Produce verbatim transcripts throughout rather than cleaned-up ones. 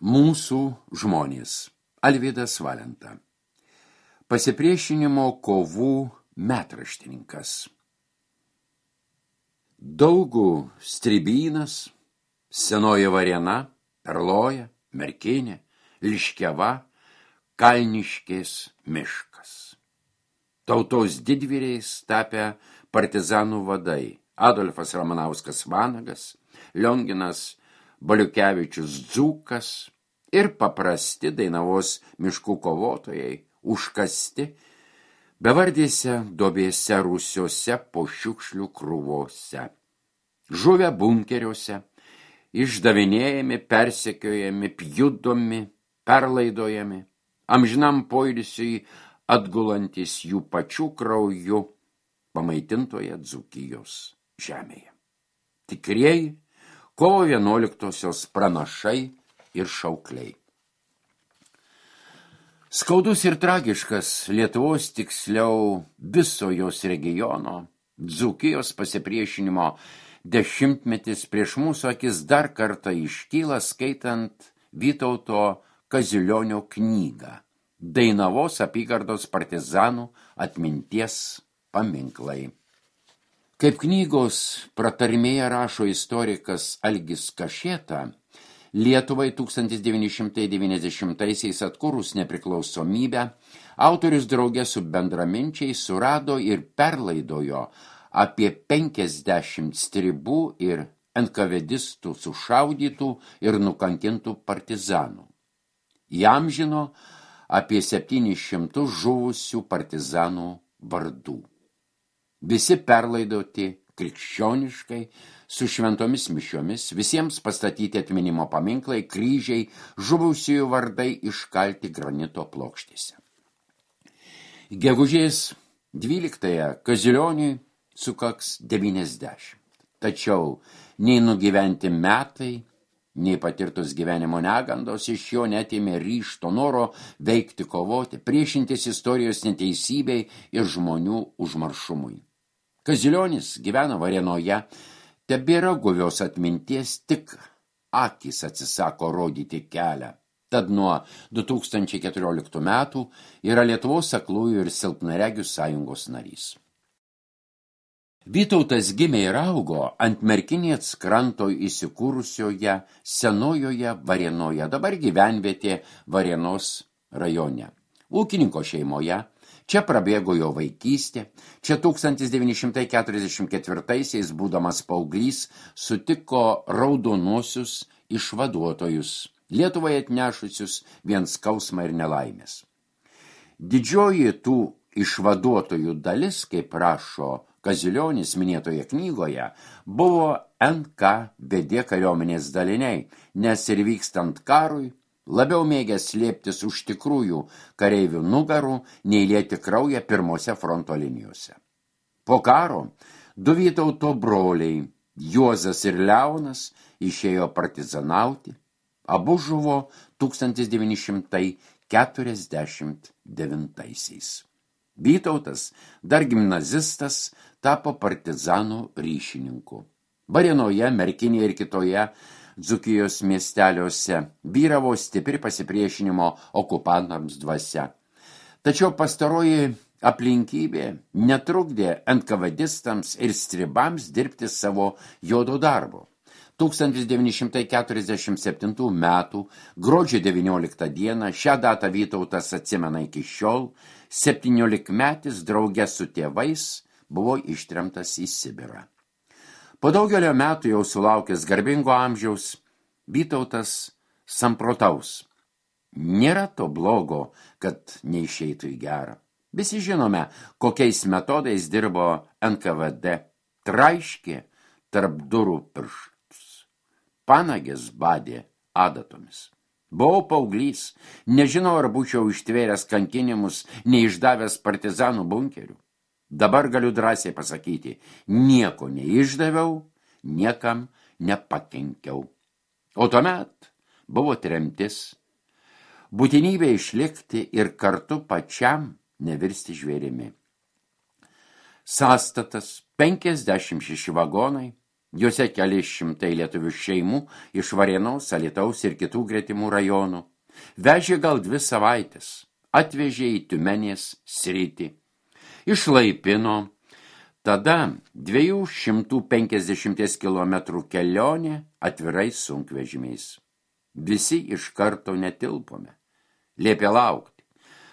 Mūsų žmonės. Alvydas Valenta. Pasipriešinimo kovų metraštininkas. Daugų Strybynas, Senoji Varėna, Perloja, Merkinė, Liškiava, Kalniškės miškas. Tautos didvyriais tapę partizanų vadai Adolfas Ramanauskas Vanagas, Lionginas Baliukevičius Dzūkas ir paprasti Dainavos miškų kovotojai užkasti bevardėse duobėse rūsiuose po šiukšlių krūvose. Žuvę bunkeriuose, išdavinėjami, persekiojami, pjudomi, perlaidojami, amžinam poilsiui atgulantis jų pačių krauju pamaitintoje Dzūkijos žemėje. Tikrieji kovo vienuoliktosios pranašai ir šaukliai. Skaudus ir tragiškas Lietuvos, tiksliau viso jos regiono, Dzūkijos pasipriešinimo dešimtmetis prieš mūsų akis dar kartą iškyla skaitant Vytauto Kazilionio knygą Dainavos apygardos partizanų atminties paminklai. Kaip knygos pratarmėje rašo istorikas Algis Kašėta, Lietuvai tūkstantis devyni šimtai devyniasdešimtaisiais atkūrus nepriklausomybę, autorius drauge su bendraminčiais surado ir perlaidojo apie penkiasdešimt stribų ir enkavedistų sušaudytų ir nukankintų partizanų. Įamžino apie septynis šimtus žuvusių partizanų vardų. Visi perlaidoti krikščioniškai, su šventomis mišiomis, visiems pastatyti atminimo paminklai, kryžiai, žuvusiųjų vardai iškalti granito plokštėse. Gegužės dvyliktąją Kazilioniui sukaks devyniasdešimt. Tačiau nei nugyventi metai, nei patirtos gyvenimo negandos iš jo neatėmė ryžto noro veikti, kovoti, priešintis istorijos neteisybei ir žmonių užmaršumui. Kazilionis gyvena Varėnoje, tebėra guvios atminties, tik akys atsisako rodyti kelią. Tad nuo du tūkstančiai keturioliktų metų yra Lietuvos aklųjų ir silpnaregių sąjungos narys. Vytautas gimė ir augo ant Merkinės kranto įsikūrusioje Senojoje Varėnoje, dabar gyvenvietė Varėnos rajone. Ūkininko šeimoje. Čia prabėgo jo vaikystė, čia tūkstantis devyni šimtai keturiasdešimt ketvirtaisiais, būdamas paauglys, sutiko raudonuosius išvaduotojus, Lietuvai atnešusius vien skausmą ir nelaimės. Didžioji tų išvaduotojų dalis, kaip rašo Kazilionis minėtoje knygoje, buvo N K V D kariuomenės daliniai, nes ir vykstant karui, labiau mėgę slėptis už tikrųjų kareivių nugarų, nei lieti kraują pirmose fronto linijose. Po karo du Vytauto broliai, Juozas ir Leonas, išėjo partizanauti, abu žuvo tūkstantis devyni šimtai keturiasdešimt devintaisiais. Vytautas, dar gimnazistas, tapo partizanų ryšininku. Varėnoje, Merkinėje ir kitoje Dzūkijos miesteliuose vyravo stipri pasipriešinimo okupantams dvasia. Tačiau pastaroji aplinkybė netrukdė enkavadistams ir stribams dirbti savo juodo darbo. tūkstantis devyni šimtai keturiasdešimt septintų metų gruodžio devynioliktą dieną šią datą Vytautas atsimena iki šiol, septyniolikmetis drauge su tėvais buvo ištremtas į Sibirą. Po daugelio metų jau sulaukęs garbingo amžiaus, Vytautas samprotaus. Nėra to blogo, kad neišeitų į gerą. Visi žinome, kokiais metodais dirbo N K V D. Traiškė tarp durų pirštus. Panagės badė adatomis. Buvau paauglys, nežinau, ar būčiau ištvėręs kankinimus, neišdavęs partizanų bunkerių. Dabar galiu drąsiai pasakyti, nieko neišdaviau, niekam nepakenkiau. O tuomet buvo tremtis, būtinybė išlikti ir kartu pačiam nevirsti žvėrimi. Sąstatas penkiasdešimt šeši vagonai, Juose keli šimtai lietuvių šeimų iš Varėnos, Alytaus ir kitų gretimų rajonų. Vežė gal dvi savaitės, atvežė į Tiumenės sritį. Išlaipino, tada dviejų šimtų penkiasdešimties kilometrų kelionė atvirais sunkvežimiais. Visi iš karto netilpome. Liepė laukti.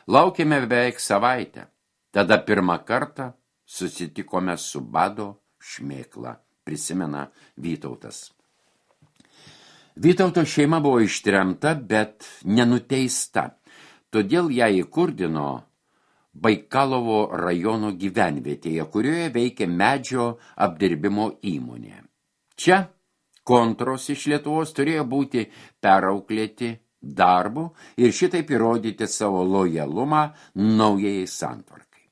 Laukėme beveik savaitę. Tada pirmą kartą susitikome su bado šmėkla, prisimena Vytautas. Vytauto šeima buvo ištremta, bet nenuteista. Todėl ją įkurdino Baikalovo rajono gyvenvietėje, kurioje veikė medžio apdirbimo įmonė. Čia kontros iš Lietuvos turėjo būti perauklėti darbu ir šitaip įrodyti savo lojalumą naujai santvarkai.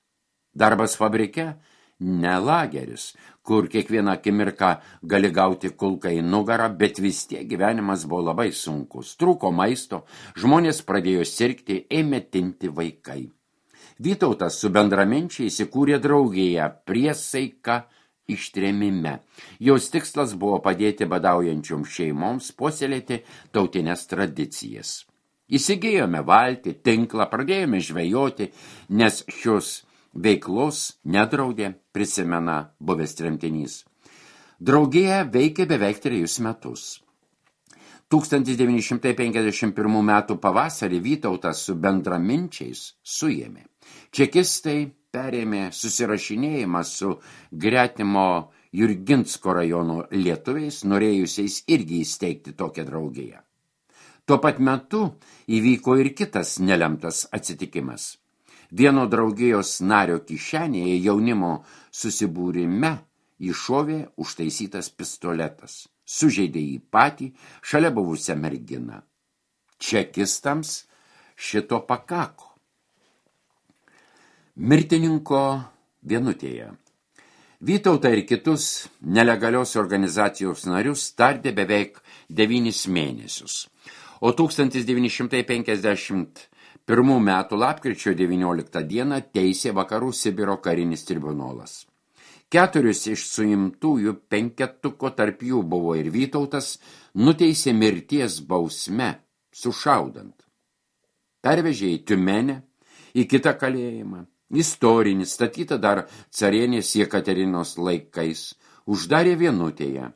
Darbas fabrike ne lageris, kur kiekvieną akimirką gali gauti kulką į nugarą, bet vis tiek gyvenimas buvo labai sunkus. Trūko maisto, žmonės pradėjo sirgti, ėmė tinti vaikai. Vytautas su bendraminčiai įsikūrė draugiją Priesaika ištrėmime. Jos tikslas buvo padėti badaujančioms šeimoms puoselėti tautinės tradicijas. Įsigijome valtį, tinklą, pradėjome žvejoti, nes šios veiklos nedraudė, prisimena buvęs tremtinys. Draugija veikė beveik trejus metus. tūkstantis devyni šimtai penkiasdešimt pirmų metų pavasarį Vytautas su bendraminčiais suėmė. Čekistai perėmė susirašinėjimą su gretimo Jurginsko rajono lietuviais, norėjusiais irgi įsteigti tokią draugiją. Tuo pat metu įvyko ir kitas nelemtas atsitikimas. Vieno draugijos nario kišenėje jaunimo susibūrime iššovė užtaisytas pistoletas. Sužeidė jį patį, šalia buvusią merginą. Čekistams šito pakako. Mirtininko vienutėje. Vytautą ir kitus nelegalios organizacijos narius tardė beveik devynis mėnesius. O tūkstantis devyni šimtai penkiasdešimt pirmų metų lapkričio devynioliktą dieną teisė Vakarų Sibiro karinis tribunolas. Keturis iš suimtųjų penketuko, tarp jų buvo ir Vytautas, nuteisė mirties bausme, sušaudant. Pervežė į Tiumenę, į kitą kalėjimą, istorinį, statytą dar carienės Jekaterinos laikais, uždarė vienutėje,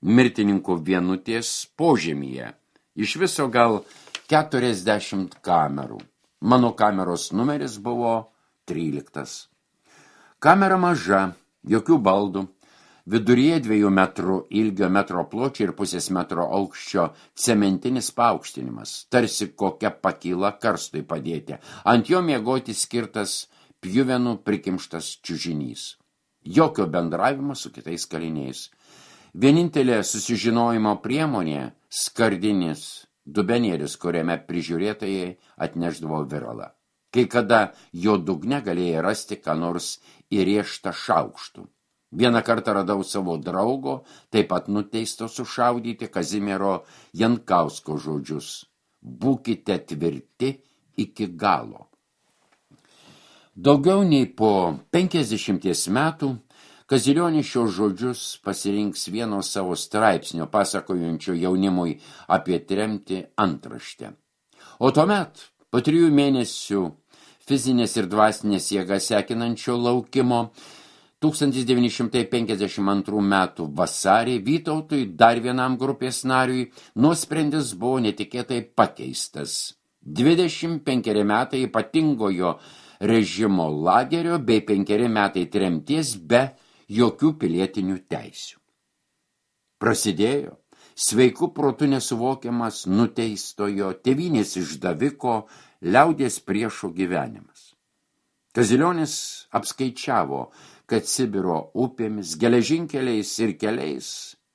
mirtininkų vienutės požemyje, iš viso gal keturiasdešimt kamerų. Mano kameros numeris buvo tryliktas. Kamera maža, jokių baldų, viduryje dviejų metrų ilgio, metro pločio ir pusės metro aukščio cementinis paaukštinimas, tarsi kokia pakyla karstui padėti. Ant jo miegoti skirtas pjuvenų prikimštas čiužinys. Jokio bendravimo su kitais kaliniais. Vienintelė susižinojimo priemonė skardinis dubenėlis, kuriame prižiūrėtojai atnešdavo viralą. Kai kada jo dugne galėjai rasti ką nors įrėžtą šaukštų. Vieną kartą radau savo draugo, taip pat nuteisto sušaudyti Kazimiero Jankausko žodžius. Būkite tvirti iki galo. Daugiau nei po penkiasdešimties metų Kazilionis šios žodžius pasirinks vieno savo straipsnio pasakojančio jaunimui apie tremtį antraštę. O tuomet, po trijų mėnesių fizinės ir dvasinės jėgas sekinančio laukimo, tūkstantis devyni šimtai penkiasdešimt antrų metų vasarį Vytautui, dar vienam grupės nariui, nuosprendis buvo netikėtai pakeistas. dvidešimt penkeri metai ypatingojo režimo lagerio bei penkeri metai tremties be jokių pilietinių teisių. Prasidėjo sveikų protų nesuvokiamas nuteistojo tėvynės išdaviko liaudies priešo gyvenimas. Kazilionis apskaičiavo, kad Sibiro upėmis, geležinkeliais ir keliais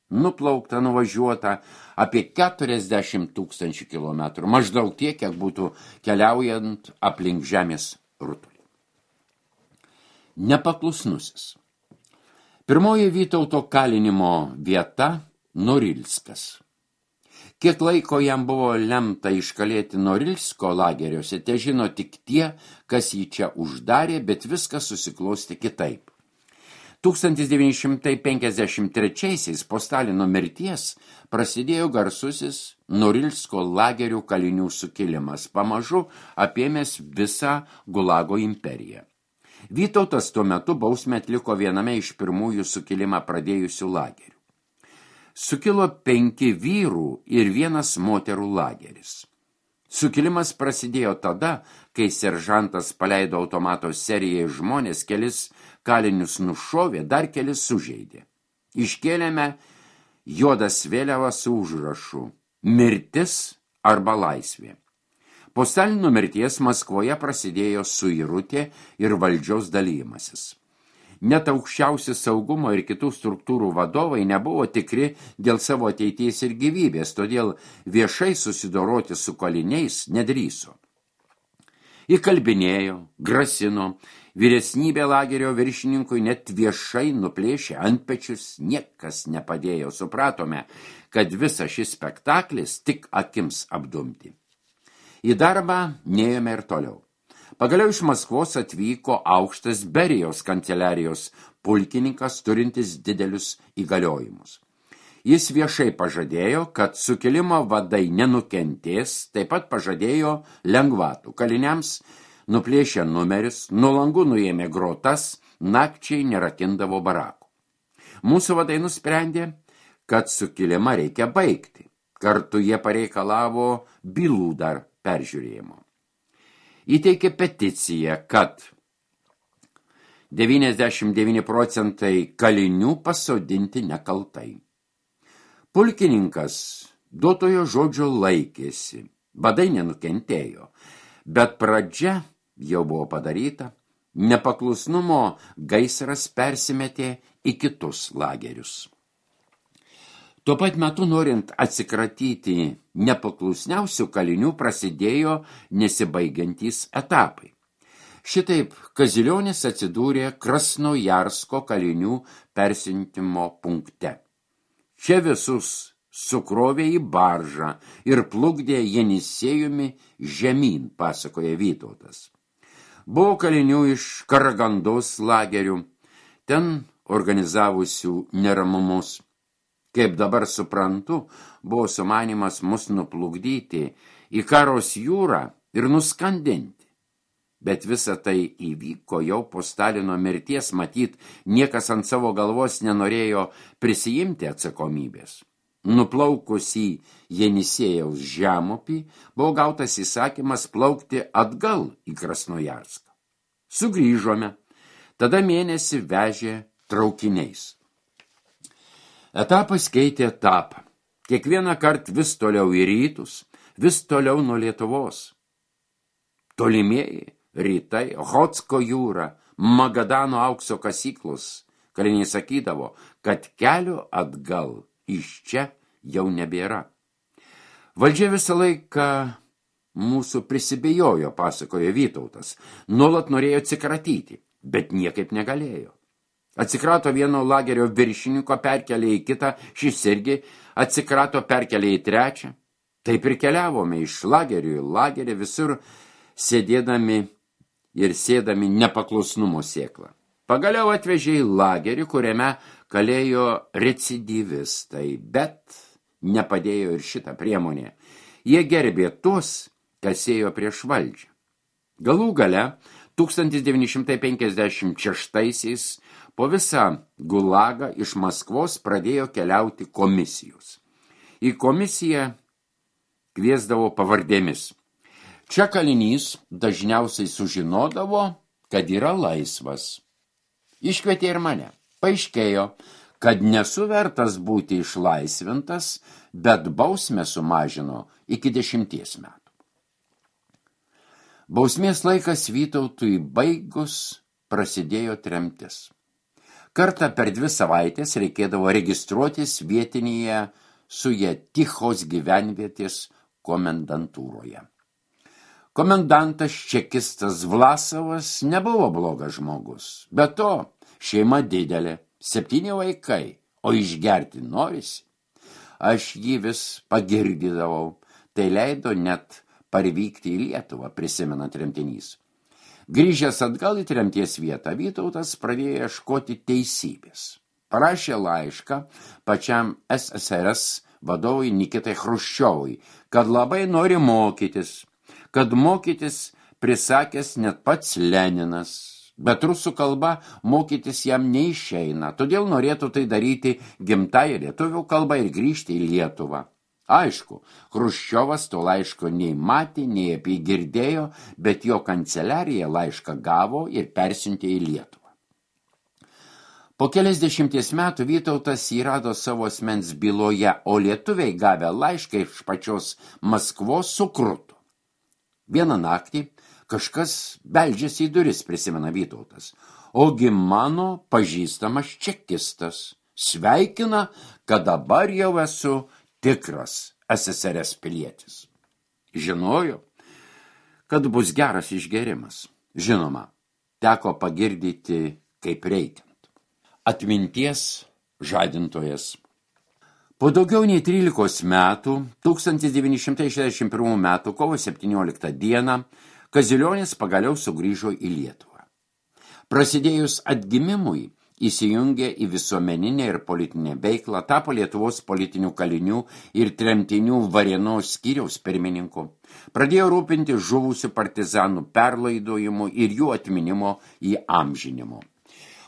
nuplaukta, nuvažiuota apie keturiasdešimt tūkstančių kilometrų, maždaug tiek, kiek būtų keliaujant aplink žemės rutulį. Nepaklusnusis. Pirmoji Vytauto kalinimo vieta – Norilskas. Kiek laiko jam buvo lemta iškalėti Norilsko lageriuose, te žino tik tie, kas jį čia uždarė, bet viskas susiklosti kitaip. tūkstantis devyni šimtai penkiasdešimt trečiaisiais po Stalino mirties prasidėjo garsusis Norilsko lagerių kalinių sukilimas, pamažu apėmęs visą Gulago imperiją. Vytautas tuo metu bausmę atliko viename iš pirmųjų sukilimą pradėjusių lagerių. Sukilo penki vyrų ir vienas moterų lageris. Sukilimas prasidėjo tada, kai seržantas paleido automato serijai žmonės, kelis kalinius nušovė, dar kelis sužeidė. Iškėlėme juodas vėliavas su užrašu mirtis arba laisvė. Po Stalino mirties Maskvoje prasidėjo suirutė ir valdžios dalymasis. Net aukščiausi saugumo ir kitų struktūrų vadovai nebuvo tikri dėl savo ateities ir gyvybės, todėl viešai susidoroti su kaliniais nedrįso. Įkalbinėjo, grasino, vyresnybė lagerio viršininkui net viešai nuplėšė antpečius, niekas nepadėjo, supratome, kad visas šis spektaklis tik akims apdumti. Į darbą neėjome ir toliau. Pagaliau iš Maskvos atvyko aukštas Berijos kanceliarijos pulkininkas turintis didelius įgaliojimus. Jis viešai pažadėjo, kad sukilimo vadai nenukentės, taip pat pažadėjo lengvatų. Kaliniams nuplėšė numerius, nuo langų nuėmė grotas, nakčiai nerakindavo barakų. Mūsų vadai nusprendė, kad sukilimą reikia baigti. Kartu jie pareikalavo bylų dar peržiūrėjimo. Įteikė peticiją, kad devyniasdešimt devyni procentai kalinių pasodinti nekaltai. Pulkininkas duotojo žodžio laikėsi, vadai nenukentėjo, bet pradžia jau buvo padaryta, nepaklusnumo gaisras persimetė į kitus lagerius. Tuo pat metu, norint atsikratyti nepaklusniausių kalinių, prasidėjo nesibaigiantys etapai. Šitaip Kazilionis atsidūrė Krasnojarsko kalinių persintimo punkte. Čia visus sukrovė į baržą ir plukdė Jenisėjumi žemyn, pasakoja Vytautas. Buvo kalinių iš Karagandos lagerių, ten organizavusių neramumus. Kaip dabar suprantu, buvo sumanymas mus nuplukdyti į Karos jūrą ir nuskandinti. Bet visa tai įvyko jau po Stalino mirties, matyt, niekas ant savo galvos nenorėjo prisijimti atsakomybės. Nuplaukus į Jenisėjaus žemupį, buvo gautas įsakymas plaukti atgal į Krasnojarską. Sugrįžome, tada mėnesį vežė traukiniais. Etapas keitė etapą. Kiekvieną kartą vis toliau į rytus, vis toliau nuo Lietuvos. Tolimieji rytai, Ochotsko jūra, Magadano aukso kasyklos. Kaliniai sakydavo, kad kelio atgal iš čia jau nebėra. Valdžia visą laiką mūsų prisibijojo, pasakojo Vytautas. Nuolat norėjo atsikratyti, bet niekaip negalėjo. Atsikrato vieno lagerio viršininko, perkelė į kitą, šis irgi atsikrato, perkelė į trečią. Taip ir keliavome iš lagerių į lagerį, visur sėdėdami ir sėdami nepaklusnumo sėklą. Pagaliau atvežė į lagerį, kuriame kalėjo recidyvistai, bet nepadėjo ir šitą priemonę. Jie gerbė tuos, kas ėjo prieš valdžią. Galų gale tūkstantis devyni šimtai penkiasdešimt šeštaisiais po visą Gulagą iš Maskvos pradėjo keliauti komisijos. Į komisiją kviesdavo pavardėmis. Čia kalinys dažniausiai sužinodavo, kad yra laisvas. Iškvietė ir mane. Paaiškėjo, kad nesu vertas būti išlaisvintas, bet bausmę sumažino iki dešimties metų. Bausmės laikas Vytautui baigus prasidėjo tremtis. Kartą per dvi savaitės reikėdavo registruotis vietinėje Sujetichos gyvenvietės komendantūroje. Komendantas čekistas Vlasovas nebuvo blogas žmogus, be to šeima didelė, septyni vaikai, o išgerti norisi. Aš jį vis pagirdydavau, tai leido net parvykti į Lietuvą, prisimena tremtinys. Grįžęs atgal į tremties vietą, Vytautas pradėjo ieškoti teisybės. Parašė laišką pačiam S S R S vadovui Nikitai Chruščiovui, kad labai nori mokytis, kad mokytis prisakęs net pats Leninas, bet rusų kalba mokytis jam neišeina, todėl norėtų tai daryti gimtąją lietuvių kalbą ir grįžti į Lietuvą. Aišku, Chruščiovas to laiško nei matė, nei apie jį girdėjo, bet jo kanceliarija laišką gavo ir persiuntė į Lietuvą. Po keliasdešimties metų Vytautas jį rado savo asmens byloje, o lietuviai gavę laišką iš pačios Maskvos sukruto. Vieną naktį kažkas beldžiasi į duris, prisimena Vytautas, ogi mano pažįstamas čekistas sveikina, kad dabar jau esu tikras S S R S pilietis. Žinojo, kad bus geras išgėrimas. Žinoma, teko pagirdyti kaip reikiant. Atminties žadintojas. Po daugiau nei trylikos metų, tūkstantis devyni šimtai šešiasdešimt pirmų metų kovo septynioliktą dieną, Kazilionis pagaliau sugrįžo į Lietuvą. Prasidėjus atgimimui, įsijungė į visuomeninę ir politinę veiklą, tapo Lietuvos politinių kalinių ir tremtinių Varėnos skyriaus pirmininku, pradėjo rūpinti žuvusių partizanų perlaidojimu ir jų atminimo įamžinimu.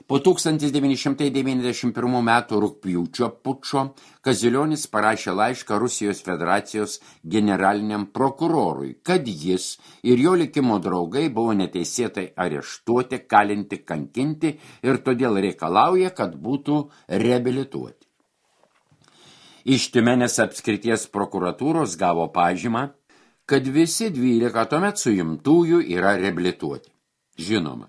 Po tūkstantis devyni šimtai devyniasdešimt pirmų metų rugpjūčio pučo Kazilionis parašė laišką Rusijos federacijos generaliniam prokurorui, kad jis ir jo likimo draugai buvo neteisėtai areštuoti, kalinti, kankinti ir todėl reikalauja, kad būtų reabilituoti. Iš Tiumenės apskrities prokuratūros gavo pažymą, kad visi dvylika tuomet suimtųjų yra reabilituoti. Žinoma,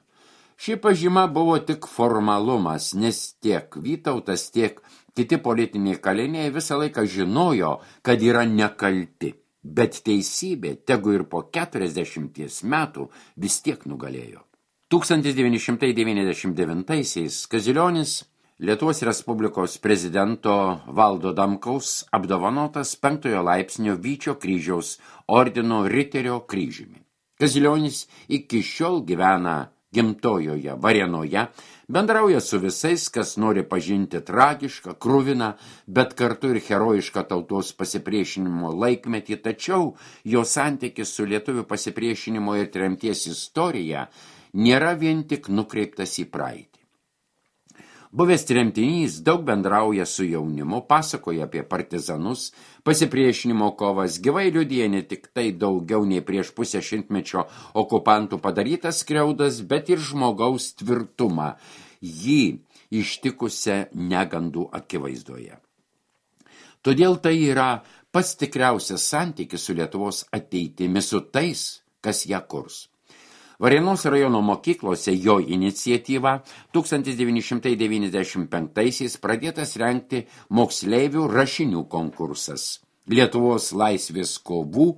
ši pažyma buvo tik formalumas, nes tiek Vytautas, tiek kiti politiniai kaliniai visą laiką žinojo, kad yra nekalti, bet teisybė, tegu ir po keturiasdešimties metų, vis tiek nugalėjo. tūkstantis devyni šimtai devyniasdešimt devintaisiais Kazilionis Lietuvos Respublikos prezidento Valdo Adamkaus apdovanotas penktojo laipsnio Vyčio kryžiaus ordino Riterio kryžiumi. Kazilionis iki šiol gyvena gimtojoje Varėnoje, bendrauja su visais, kas nori pažinti tragišką, kruviną, bet kartu ir herojišką tautos pasipriešinimo laikmetį, tačiau jo santykis su lietuvių pasipriešinimo ir tremties istorija nėra vien tik nukreiptas į praeitį. Buvęs tremtinys daug bendrauja su jaunimu, pasakoja apie partizanus, pasipriešinimo kovas, gyvai liudija ne tik tai daugiau nei prieš pusę šimtmečio okupantų padarytas skriaudas, bet ir žmogaus tvirtumą, jį ištikusią negandų akivaizdoje. Todėl tai yra pats tikriausias santykis su Lietuvos ateitimi, su tais, kas ją kurs. Varėnos rajono mokyklose jo iniciatyva tūkstantis devyni šimtai devyniasdešimt penktaisiais pradėtas rengti moksleivių rašinių konkursas Lietuvos laisvės kovų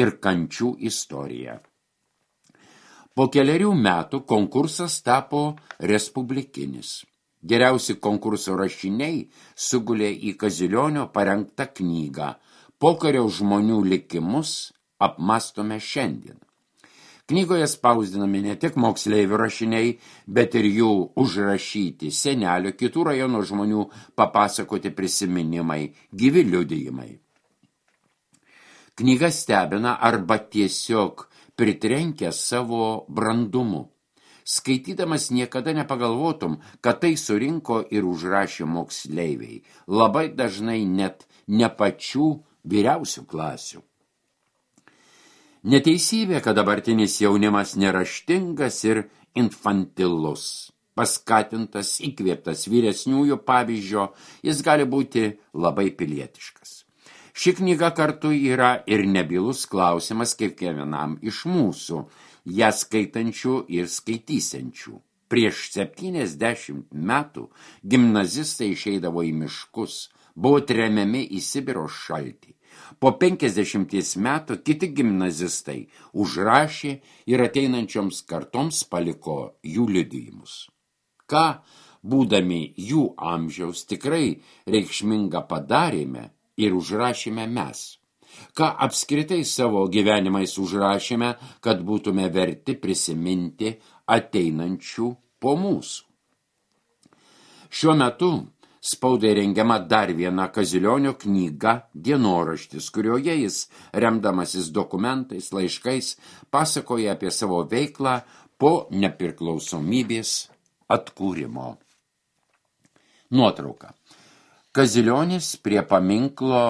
ir kančių istorija. Po kelerių metų konkursas tapo respublikinis. Geriausi konkurso rašiniai sugulė į Kazilionio parengtą knygą Pokario žmonių likimus apmastome šiandien. Knygoje spausdinami ne tik moksleivių rašiniai, bet ir jų užrašyti senelio, kitų rajono žmonių papasakoti prisiminimai, gyvi liudijimai. Knyga stebina arba tiesiog pritrenkia savo brandumu. Skaitydamas niekada nepagalvotum, kad tai surinko ir užrašė moksleiviai, labai dažnai net ne pačių vyriausių klasių. Neteisybė, kad dabartinis jaunimas neraštingas ir infantilus. Paskatintas, įkvėptas vyresniųjų pavyzdžio, jis gali būti labai pilietiškas. Ši knyga kartu yra ir nebylus klausimas kiekvienam iš mūsų, ją skaitančių ir skaitysiančių. Prieš septyniasdešimt metų gimnazistai išeidavo į miškus, buvo tremiami į Sibiro šaltį. Po penkiasdešimties metų kiti gimnazistai užrašė ir ateinančioms kartoms paliko jų liudijimus. Ką, būdami jų amžiaus, tikrai reikšmingą padarėme ir užrašėme mes. ką apskritai savo gyvenimais užrašėme, kad būtume verti prisiminti ateinančių po mūsų. Šiuo metu spaudai rengiama dar viena Kazilionio knyga dienoraštis, kurioje jis, remdamasis dokumentais, laiškais, pasakoja apie savo veiklą po nepriklausomybės atkūrimo. Nuotrauka. Kazilionis prie paminklo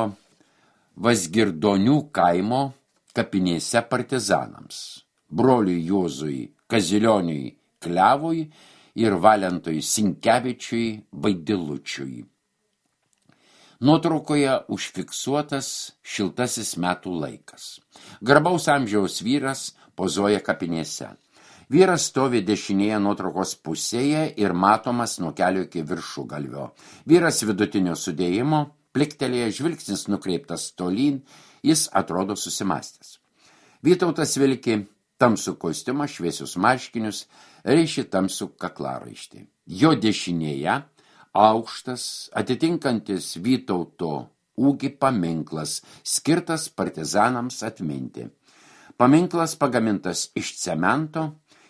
Vazgirdonių kaimo kapinėse partizanams, broliui Juozui Kazilioniui Klevui ir Valentui Sinkevičiui Vaidilučiui. Nuotraukoje užfiksuotas šiltasis metų laikas. Garbaus amžiaus vyras pozuoja kapinėse. Vyras stovi dešinėje nuotraukos pusėje ir matomas nuo kelio iki viršugalvio. Vyras vidutinio sudėjimo, pliktelėje, žvilgsnis nukreiptas tolyn, jis atrodo susimastęs. Vytautas vilki tamsų kostiumą, šviesius marškinius, reiškia tamsų kaklaraištį. Jo dešinėje aukštas, atitinkantis Vytauto ūgį paminklas, skirtas partizanams atminti. Paminklas pagamintas iš cemento,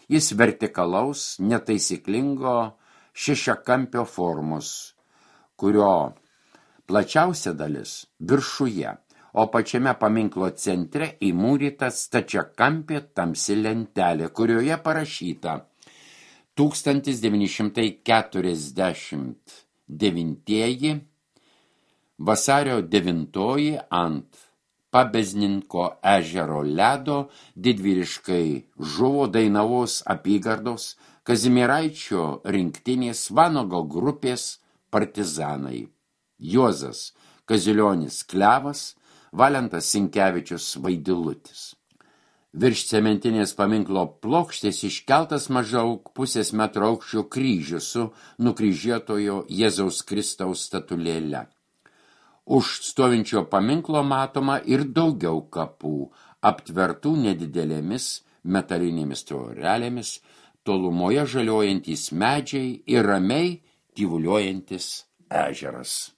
jis vertikalaus, netaisyklingo šešiakampio formos, kurio plačiausia dalis viršuje, o pačiame paminklo centre įmūryta stačiakampė tamsi lentelė, kurioje parašyta tūkstantis devyni šimtai keturiasdešimt devinti vasario devintoji ant Pabezninko ežero ledo didvyriškai žuvo Dainavos apygardos Kazimieraičio rinktinės Vanago grupės partizanai. Juozas Kazilionis Klevas, Valentas Sinkevičius Vaidilutis. Virš cementinės paminklo plokštės iškeltas maždaug pusės metro aukščio kryžius su nukryžiuotojo Jėzaus Kristaus statulėle. Už stovinčio paminklo matoma ir daugiau kapų, aptvertų nedidelėmis metalinėmis tvorelėmis, tolumoje žaliuojantys medžiai ir ramiai tyvuliuojantis ežeras.